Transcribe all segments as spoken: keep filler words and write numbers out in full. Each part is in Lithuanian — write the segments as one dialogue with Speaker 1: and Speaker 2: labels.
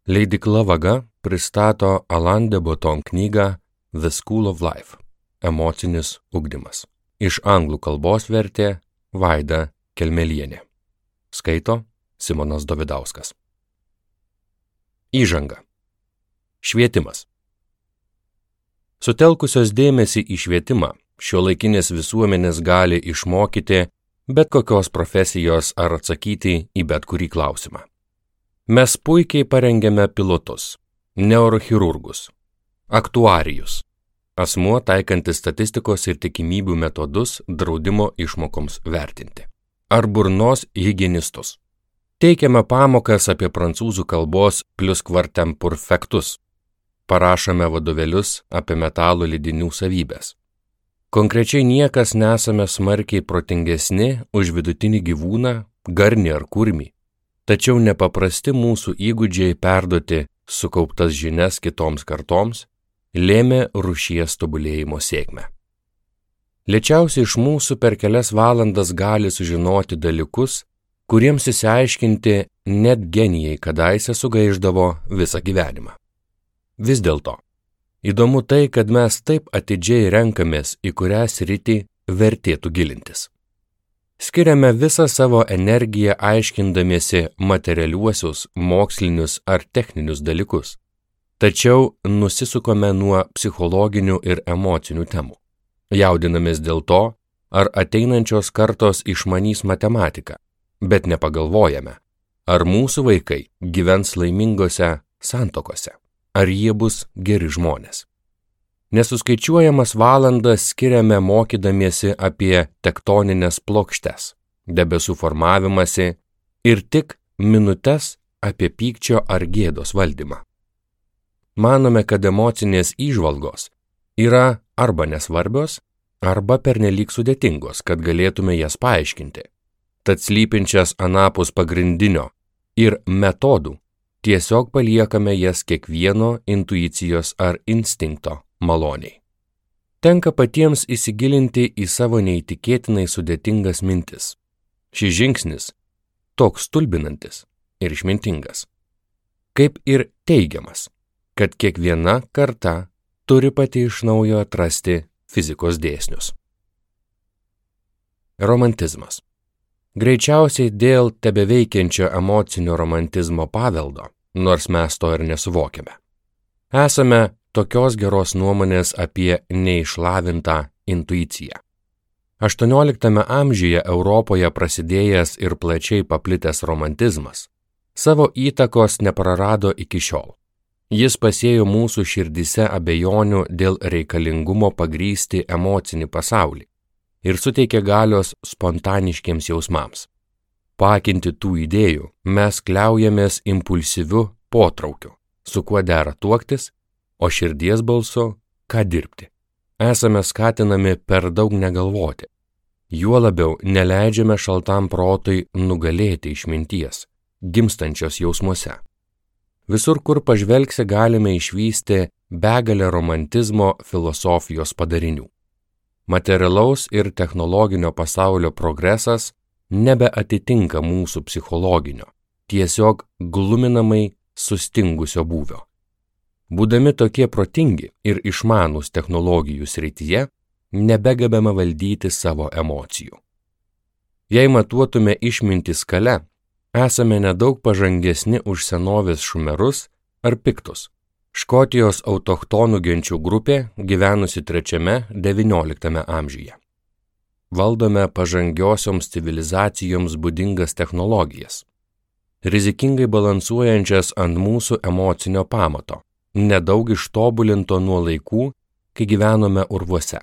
Speaker 1: Leidykla Vaga pristato Alain de Botton knygą The School of Life – Emocinis ugdymas. Iš anglų kalbos vertė Vaida Kelmelienė. Skaito Simonas Dovidauskas. Įžanga. Švietimas. Sutelkusios dėmesį į švietimą, šiuolaikinės visuomenės gali išmokyti bet kokios profesijos ar atsakyti į bet kurį klausimą. Mes puikiai parengėme pilotus, neurochirurgus, aktuarijus, asmuo taikantis statistikos ir tikimybių metodus draudimo išmokoms vertinti, ar burnos higienistus. Teikiame pamokas apie prancūzų kalbos pliuskvartemperfektus, parašome vadovėlius apie metalų lydinių savybės. Konkrečiai niekas nesame smarkiai protingesni už vidutinį gyvūną, garnį ar kurmį, tačiau nepaprasti mūsų įgūdžiai perduoti sukauptas žinias kitoms kartoms lėmė rūšies tobulėjimo sėkmę. Lėčiausiai iš mūsų per kelias valandas gali sužinoti dalykus, kuriems įsiaiškinti net genijai kadaise sugaišdavo visą gyvenimą. Vis dėlto, įdomu tai, kad mes taip atidžiai renkamės, į kurią sritį vertėtų gilintis. Skiriame visą savo energiją aiškindamiesi materialiuosius, mokslinius ar techninius dalykus, tačiau nusisukome nuo psichologinių ir emocinių temų. Jaudinamės dėl to, ar ateinančios kartos išmanys matematiką, bet nepagalvojame, ar mūsų vaikai gyvens laimingose santuokose, ar jie bus geri žmonės. Nesuskaičiuojamas valandas skiriame mokydamiesi apie tektonines plokštes, debesų formavimąsi ir tik minutes apie pykčio ar gėdos valdymą. Manome, kad emocinės įžvalgos yra arba nesvarbios, arba pernelyg sudėtingos, kad galėtume jas paaiškinti. Tad slypinčias anapus pagrindinio ir metodų tiesiog paliekame jas kiekvieno intuicijos ar instinkto maloniai. Tenka patiems įsigilinti į savo neįtikėtinai sudėtingas mintis. Šis žingsnis toks stulbinantis ir išmintingas, kaip ir teigiamas, kad kiekviena karta turi pati iš naujo atrasti fizikos dėsnius. Romantizmas. Greičiausiai dėl tebeveikiančio emocinio romantizmo paveldo, nors mes to ir nesuvokiame. Esame tokios geros nuomonės apie neišlavintą intuiciją. aštuonioliktame amžiuje Europoje prasidėjęs ir plačiai paplitęs romantizmas savo įtakos neprarado iki šiol. Jis pasėjo mūsų širdyse abejonių dėl reikalingumo pagrįsti emocinį pasaulį ir suteikė galios spontaniškiems jausmams. Paakinti tų idėjų mes kliaujamės impulsyviu potraukiu, su kuo dera tuoktis, o širdies balsu ką dirbti. Esame skatinami per daug negalvoti. Juo labiau neleidžiame šaltam protui nugalėti išminties, gimstančios jausmuose. Visur, kur pažvelgsi, galime išvysti begalę romantizmo filosofijos padarinių. Materialaus ir technologinio pasaulio progresas nebeatitinka mūsų psichologinio, tiesiog gluminamai sustingusio būvio. Būdami tokie protingi ir išmanūs technologijų srityje, nebegebame valdyti savo emocijų. Jei matuotume išmintį skale, esame nedaug pažangesni už senovės šumerus ar piktus, Škotijos autochtonų genčių grupė gyvenusi trečiame devynioliktame amžiuje. Valdome pažangiosioms civilizacijoms būdingas technologijas, rizikingai balansuojančias ant mūsų emocinio pamato, nedaug ištobulinto nuo laikų, kai gyvenome urvuose.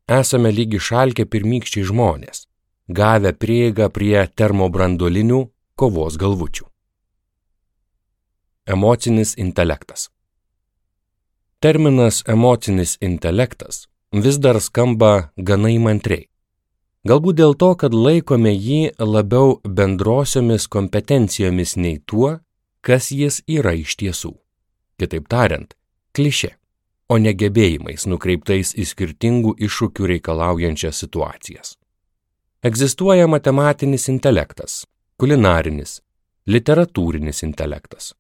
Speaker 1: Esame lygi šalkę pirmykščiai žmonės, gavę prieigą prie termobranduolinių kovos galvučių. Emocinis intelektas. Terminas emocinis intelektas vis dar skamba gana įmantriai. Galbūt dėl to, kad laikome jį labiau bendrosiomis kompetencijomis nei tuo, kas jis yra iš tiesų. Kitaip tariant, klišė, o ne gebėjimais nukreiptais į skirtingų iššūkių reikalaujančias situacijas. Egzistuoja matematinis intelektas, kulinarinis, literatūrinis intelektas,